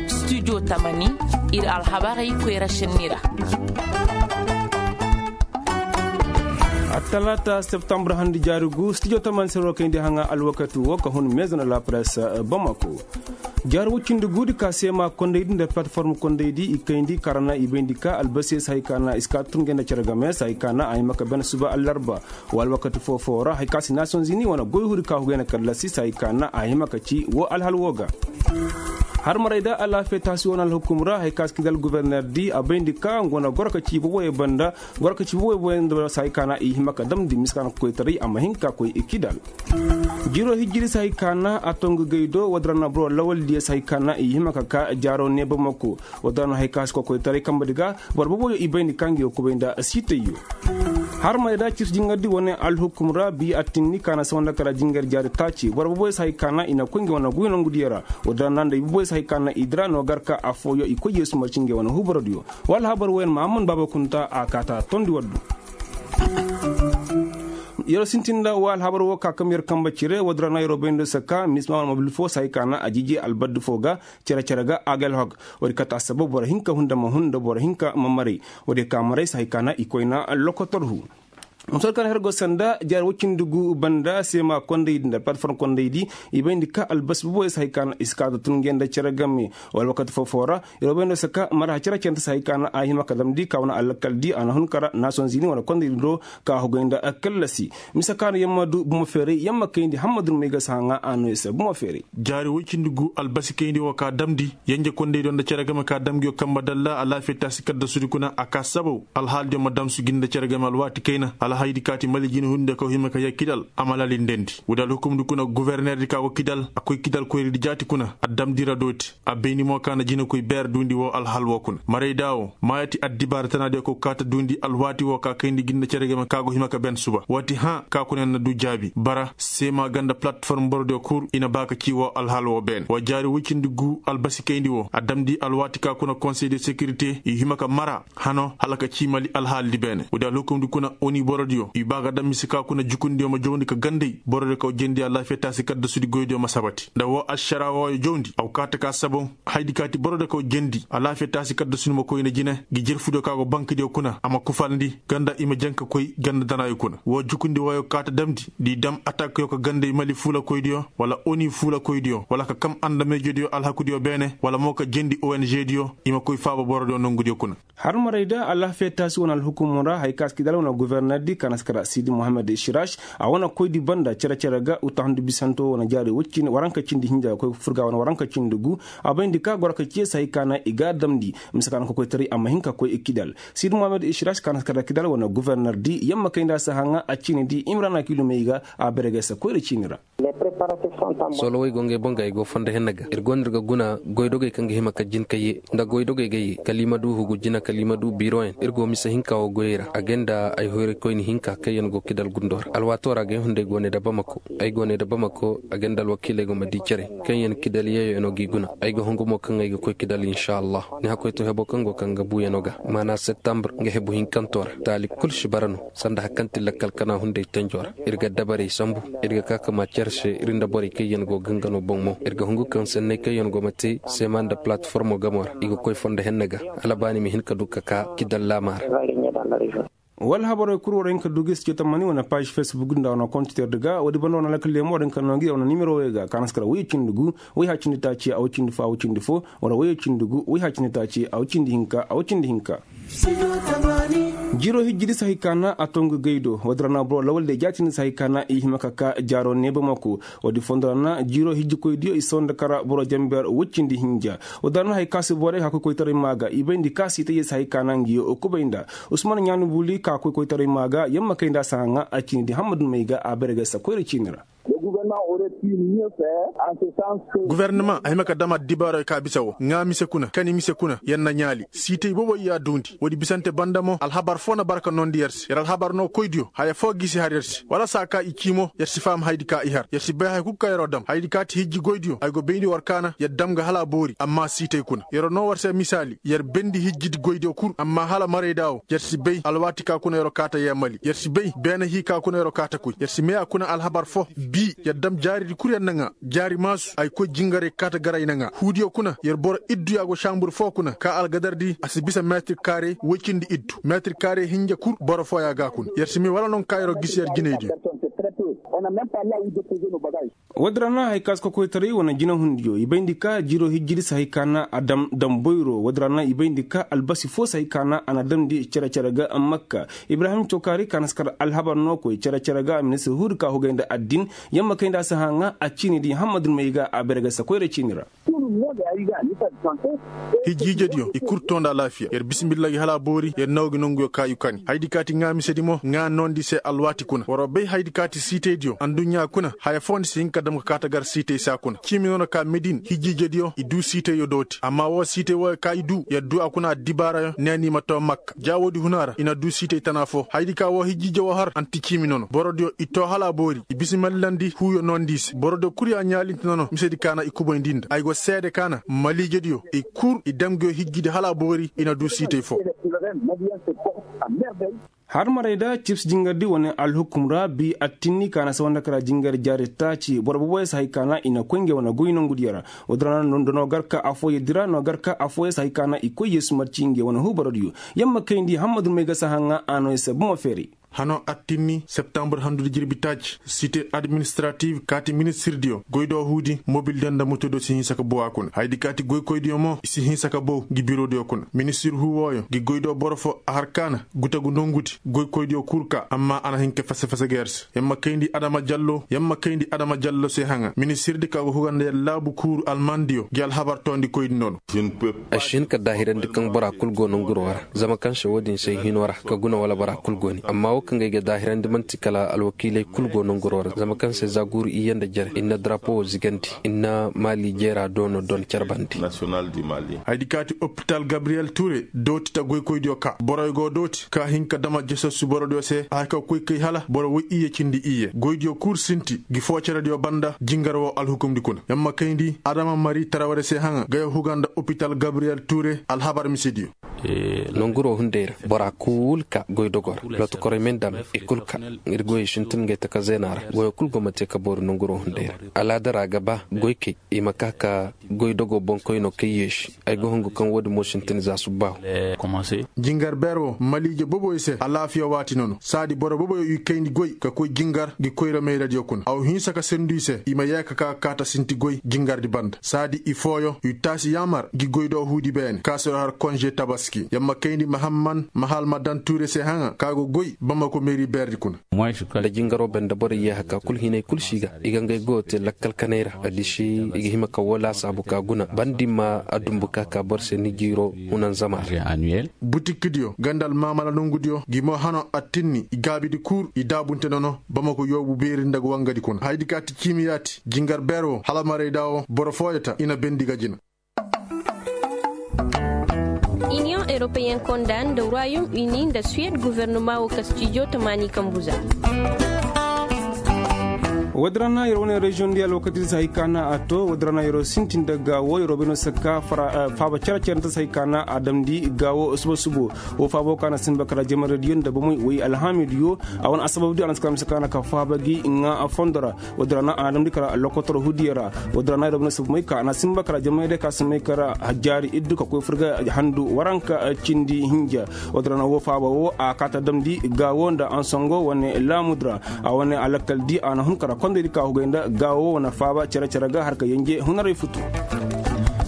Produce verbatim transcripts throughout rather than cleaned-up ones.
Studio tamani, ir alhabarey koyra šenni ra. Attalaata septambur handi jaari gu studio tamani sero kayndi haŋa alwakati wo ka hun maison de la presse, bamako. Jaari woy cindi guudi ka seema kondaydi nda plateforme kondaydi i kayndi ka ra na i bayndi ka albasi se hay ka na i si ka tun gay nda cere game se hay ka na a hima ka ben suba allarba. Wa alwakati foo-foo ra hay ka se nations unis wane goy huri ka hugay na kallasi se hay ka na a hima ka ci wo alhal wo ga. Harmaray da alaafiya taasi wane alhukum ra hay ka se kidal guberner di a bayndi ka nga wane goro ka ci boboyey banda. Goro ka ci boboyey banda se hay ka na i hima ka damndi mise ka na kokoytaray a ma hin ka koy i kidal. Jiiro hijjiri se hay ka na a tongu gay do woodi ra na boro lawaldiyo se hay ka na i hima ka ka jaaro neebamako. Woodi ra na hay ka se kokoytaray kambadi ga boro boboyo i bayndi ka ngi wo kubay nda siitayyo. Harmay da cirsi jingardi wane alhukum ra bi attinni ka na sawanda kala jingar jaari taaci boro boboyo se hay ka na i na koy ngi wane guy nongudiyo ra. Woodi ra na nda i boboyo se hay ka na i dira no gar ka affooyo i koy yeesu marci ngi wane huubarodiyo. Wala habar woyen mahamman baaba kunta a kaata tondi waddu. Yer sintin nda wa alhabar wo ka kam yer kamba cire woodi ra na yer wo bayndo saka misma wane mobil foo se hay ka na a jiji albaddi foo ga. Cere-cere ga a ga alhog. Woodi kate assabab boro hinka hunda ma hunda boro hinka ma maray. Woodi ka maray se hay ka na i koyna lokotor hu. Musal ka na her go sanda jaari woy cindi gu banda seema kondaydi nda platform kondaydi. I bayndi ka albasi boboyo se hay ka na i si ka ga tun nge nda cere game. Wala wakati foo-foo ra. Yer wo bayndo saka mara cere-cere nda se hay ka na a hima ka damndi ka wane alakaldi a na hun kara nations unis wane kondaydi do. Ka hugay nda kallasi mise ka no yer ma du bumo feeray yer ma kayndi hammadun may ga si haŋa a no yer se bumo feeray. Jaari woy cindi gu albasi kayndi wo ka damndi. Yenje kondaydiyo nda cere game ka dam ngiyo kamba dalla alaafiya taasi kaddasudi kuna a ka sabaw alhaaldiyo ma damsu gi nda cere game alwaati kayna alhaydi kaati mali jine hunde kaw hima ka yee kidal. A ma lali ndendi woodi alhukumdi kuna gubernerdi ka go kidal a koy kidal koyridi jaati kuna a damndi ra dooti. A bayndi mo ka na jinekoy beer duundi woo alhal woo kuna marayda woo maayati addibaara tanaadiyo ka go kaata duundi alwaati woo ka kayndi gi nda cere game ka go hima ka ben suba waati hãa ka kuna yer na du jaabi bara seema ganda palatform borodiyo kul i na ba ka cii woo alhal woo beene wa jaari woy cindi gu albasi kayndi woo a damndi alwaati ka kuna konsey de sekirite i hima ka mara hano hala ka cii mali alhaalidi beene woodi alhukumdi kuna oni borodiyo i ba ga dam mise ka kuna jukundiyo ma jawndi ka gandey borodiyo kaw jendi alaafiya taasi kaddasudi goydiyo ma sabati nda woo ašarawooyo jawndi a go kaata ka saboŋ. Haydi kaati borodiyo kaw jendi alaafiya taasi kaddasudi ma koyna jine ngi jerfudiyo ka go bankidiyo kuna a ma kufalndi ganda i ma janka koy ganda danaayo kuna woo jukundi wooyo kaata damndi nda i dam atakyo ka gandey mali fuulakoydiyo wala oni fuulakoydiyo wala ka kam andameejediyo alhakudiyo beene wala mo ka jendi ongdiyo i ma koy faaba borodiyo nongudiyo kuna. Har maray da alaafiya taasi wane alhukumu ra hay ka si kidal wane governer di ka na si kara sidi mohammed shirash a wane koydi banda cere-cere ga utahundi bisanto wane jaari waranka cindi hinja koy furga wane waranka cindi gu. A bayndi ka goro ka ciye si hay ka na i ga a damndi mise ka na kokoytaray a ma hin ka koy i kidal sidi mohammed shirash ka na si kara kidal wane governer di yamma kay nda si haŋa a ciini di imrana kilumey ga a bere ga si koyra ciini ra. Soolowey go ngey boŋ ga i go fondo henna ga ir go no ir ga guna goydogey kaŋ ga hima ka jin ka ye nda goydogey ga ye kala i ma du hugu jina kala i ma du biroyaŋ ir go mise hinka wo goyey ra a gay nda ay hoyraykoyni hinka kaŋ yaŋ go kidal gundo ra alwaato ra gay hunday go ne nda bamako ay go ne nda bamako a gay nda alwakiiley go ma di cere kaŋ yaŋ kidal yeeyo yaŋ no g'i guna ay ga hungu mo kaŋ ay ga koy kidal inša allah ni hakkoy to hebo kaŋ go kaŋ ga buuyaŋo ga maana septambur nga hebu hinkanto ra taali kul si bara no sanda hari kaŋ ti lakkal kana hunday tanjo ra ir ga dabarey sambu ir ga ka ka ma care se ir nda borey kaŋ yaŋ go gangano boŋ mo ir ga hungu kaŋ sanney kaŋ yaŋ go ma te seema nda palatformo gamo ra i ga koy fondo henna ga hala ba ni ma hin ka du ka ka kidal laama ra. Wala habarey kul war hin ka du ga i si ce tammani wane paaž fesbuk nda wane kontitor di ga woodi banda wane lakkal leemo war hin ka noo ngi wane nimero wey ga kaanaskara woy cindi gu woy ha cindi taaci a woy cindi fo a woy cindi fo wala woy cindi gu woy ha cindi taaci a woy cindi hinka a woy cindi hinka. Jiiro hijji di si hay ka na a tongu gay do woodi ra na boro lawal de jaatindi si hay ka na i hima ka ka jaaro neeba mako. Woodi fondo ra na jiiro hijji koydiyo i sohõ nda kara boro jamber woy cindi hinja. Woodi ra na hay ka si borey hakkoy koytaray maa ga i bayndi ka si itayyey si hay ka na ngiyo kubay nda usman ɲaani buli ka koy koytaray maa ga yamma kay nda a si haŋa a ciini di hammadu may ga a bare ga si koyra ciini ra. Gubernama a hima ka dam addibaarey ka bisa wo ŋaa mise kuna kani mise kuna yer na ɲaali siitay boboy y'a duundi woodi bisante banda mo alhabar foo na bara ka noondi yer se yer alhabar no koydiyo haya foo gisi har yer se wala saa ka i cii mo yer si faham hayadi ka i har yer si bay haya kul kaŋ yer wo dam hayadi ka ti hijji goydiyo ay go bayndi war kaana yer dam ga hala a boori amma siitay kuna yer wo noo war se misaali yer bendi hijjidi goydiyo kul amma hala marayda wo yer si bay alwaati ka kuna yer wo kaata yeemali yer si bay beene hii ka kuna yer wo kaata koy yer si meya kuna alhabar foo bii yer Dam jaaridi kul yer na ŋaa jaari maasu ay koy jingaray kaata gar ay na ŋaa huudiyo kuna yer boro iddu ya go saambur foo kuna ka algadardi a si bisa meetir kaarey woy cindi iddu meetir kaarey hinja kul boro fooya ga kuna yer si may wala no nga ka yer'o gisi yer jinaydiyo. Woodin ra na hari ka si kokoytaray wane jinahundiyo i bayndi ka jiiroo hijjidi si hari ka na a dam damboyroo woodin ra na i bayndi ka albasi foo si hari ka na a na damndi cere-cere ga makka. Ibrahim cokaari ka na si kar alhabar no koy cere-cere ga ministir huudi ka hugay nda addin. Yamma kay nda a si haŋa a ciini di hammad rumey ga a bere ga si koyra ciini ra. Hijji-hijjediyo i kul too nda alaafiya yer bisimilla gi hala a boori yer naw gi nonguyo ka i kani hayadi ka ti ŋaa misedi mo ŋaa noondi se alwaati kuna war'o bay hayadi ka ti siitaydiyo adduɲɲa kuna haya foondi si hin ka dam ka kaata gar siitay saa kuna ciimi noona ka medin hijji-hijjediyo i duu siitayyo dooti amma woo siitay wooyo ka i duu yer duu a kuna addibaarayo neeni i ma too makka ja woodi huna ra i na duu siitay tana foo hayadi ka woo hijji-hijje woo har anti ciimi nono borodiyo i too hala a boori i bisimallandi huuyo noondii se borodiyo kul ya ɲaalinti nono misedi ka na i kubayndi nda ay go seede ka na maliijediyo i kul i dam nguyo hijjidi hala a boori i na duu siitay foo. Har maray da cibs jingardi wane alhukum ra bi attinni ka na sawanda kara jingar jaari taaci boro boboyo si hay ka na i na koy ngey wane goy nongudiyo ra. Woodin ra no gar ka affooyedi ra no gar ka affooyo si hay ka na i koy yeesu marci ngey wane huubarodiyo. Yamma kayndi hammad rumey ga si haŋa a no i se bomo feeray. Hanoo attinni septambur handudi jirbi taaci site administrativ kaati ministirdiyo goydoo huudi mobildiyo nda motodiyo si hinsa ka bow a kuna hayadi kaati goykoydiyo mo i si hinsa ka bow ngi birodiyo kuna ministir huu wooyo ngi goydoo boro foo a har ka na gutagu nongudi goykoydiyo kul ka amma a na hin ka fase-fase ga yer se yer ma kayndi adama jallo yer ma kayndi adama jallo se haŋa ministirdi ka go huga nda yer laabu kuuru almandiyo ngi alhabar toondikoydi nono. Ay si hin ka daahirandi kaŋ bora kul go nonguroo ra zama kaŋ se woodin se ay hinoo ra ka guna wala bora kul go ni amma woo kaŋ ga ay ga daahirandi man'ti kala alwakiiley kul go nonguroo ra zama kaŋ se za guuru iyye nda jere ir na darapo woo zigandi ir na maali jeera doono don carbandi. Hayadi ka ti opital gabriyel ture dooti ta goykoydiyo ka boroyo go dooti ka hin ka dama jesossu borodiyo se a hay ka koy kay hala boro woy iyye cindi iyye goydiyo kul sinti ngi foo cerediyo banda jingar woo alhukumdi kuna yer ma kayndi adama mari taraware se haŋa gayo huga nda opital gabriyel ture alhabar misediyo. Nonguroo hunday ra bora kul ka goydogoo ra lotokorey ma ay nda me i kul ka ir goyey sintin ngey taka zeena ra goyoo kul go ma te ka boori nonguroo hunday ra alaada ra ga ba goykey i ma ka ka goydogoo boŋkoynoo kaŋ yeesi ay ga hungu kaŋ woodin mo sintin za subbaahu. Jingar beer woo maliije boboyo se alaafiya waati nono saadi boro boboyo i kayndi goy ka koy jingar ngi koyra mayradiyo kuna a wa hinsa ka sendu i se i ma yee ka ka kaata sinti goy jingardi banda saadi i fooyo i taasi yaamar ngi goydoo huudi beene ka si war har konže tabaski yer ma kayndi mahamman mahalmadan tuure se haŋa ka go goy bamako meeri beerdi kuna. Nda jingaroo banda borey yee haka kul hinay kul si ga i ga ngey goyoo te lakkal kanay ra adiši i ga hima ka woo laasaabu ka guna bandi ma a dumbu ka ka boro se ni jiiroo hunanzama ra. Butikdiyo ganda almaamala nongudiyo ngi mo hano attinni i gaabidi kul i daabunte nono bamako yoobu beeri nda ga wangadi kuna hayadi ka ti ciimi yaati jingar beer woo hala marayda woo boro fooyo ta i na bendi ga jina. Iniyoŋ europeyen konda nda royom uni nda suwed gofornoma woo kastijo tamaani kambu za. Woodi ra na yer wane reziyoŋ di alwakati di si hay ka na a to woodi ra na yer sintin nda gaawo yer wo bay no si ka faaba cere-cere nda si hay ka na a damndi gaawo suba-subo. Woo faabo ka na sinba kara jamaradiyo nda bomey woy alhaamidiyo. A wane asababdiyo a na si ka na mise ka na ka faaba gi ŋaa fondo ra. Woodi ra na a na damndi kara lokotor hudiyo ra. Woodi ra na yer wo bay no si bomey ka a na sinba kara jamaradiyo ka si may kara jaari iddu ka koy furga handu waranka cindi hinja. Woodi ra na woo faaba woo a kaata damndi gaawo nda ansongo wane laamudi ra. A wane alakkal di a na hun kara kondaydi ka hugay nda gaawo wane faaba cere-cere ga har ka yenje hunaray futu.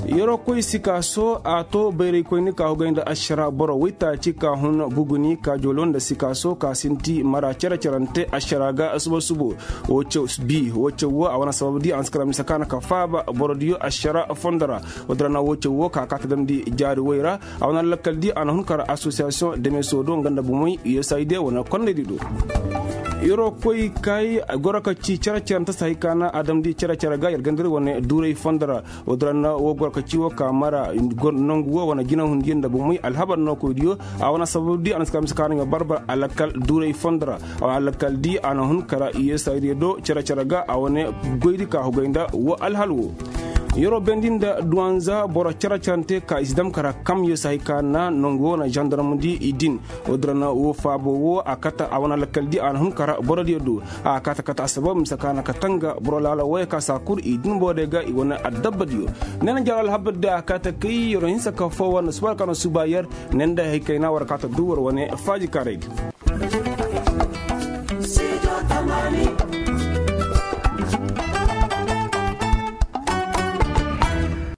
Yeroo koy sikaaso a to bayraykoyni ka hugay nda ašara boro waytaaci ka hun buguni ka jolo nda sikaaso ka sinti mara cere-cerante ašara ga suba-subo. Woo caw bi woo caw woo a wane sabab di a na si kara mise ka na ka faaba borodiyo ašara fondo ra. Woodi ra na woo caw woo ka kaata damndi jaari woy ra. A wane lakkal di a na hun kara asosiyasiyoŋ demeso do nga nda bomey usaid wane konnaydi do. Yeroo koy kay goro ka ci cere-cere nta si hay ka na a damndi cere-cere ga yer gandari wane duuray fondo ra. Woodi ra na woo goro ka ci woo ka mara nongu woo wane jinahundiyo nda bomey alhabar nookoydiyo. A wane sabab di a na si ka mise ka na nga barbar alakkal duuray fondo ra. A wane alakkal di a na hun kara usaid do cere-cere ga a wane goydi ka hugay nda woo alhal woo. Yeroo bendi nda duwanza boro cere-cerante ka i si dam kara kamyo si hay ka na nongu wo na zandarmudi i din. Wo dira na wo faabo wo a kate a wane lakkal di a na hun kara borodiyo do. A kate kate assabab mise ka na kate nga boro laala woyey ka si a kur i din borodiyo ga i wane adabba diyo. Ne na jaro alhabar di a kate kay yeroo hinsa ka foo war nda suba ka na suba yer. Ne nda hay kayna war kate du war wane faaji karay di.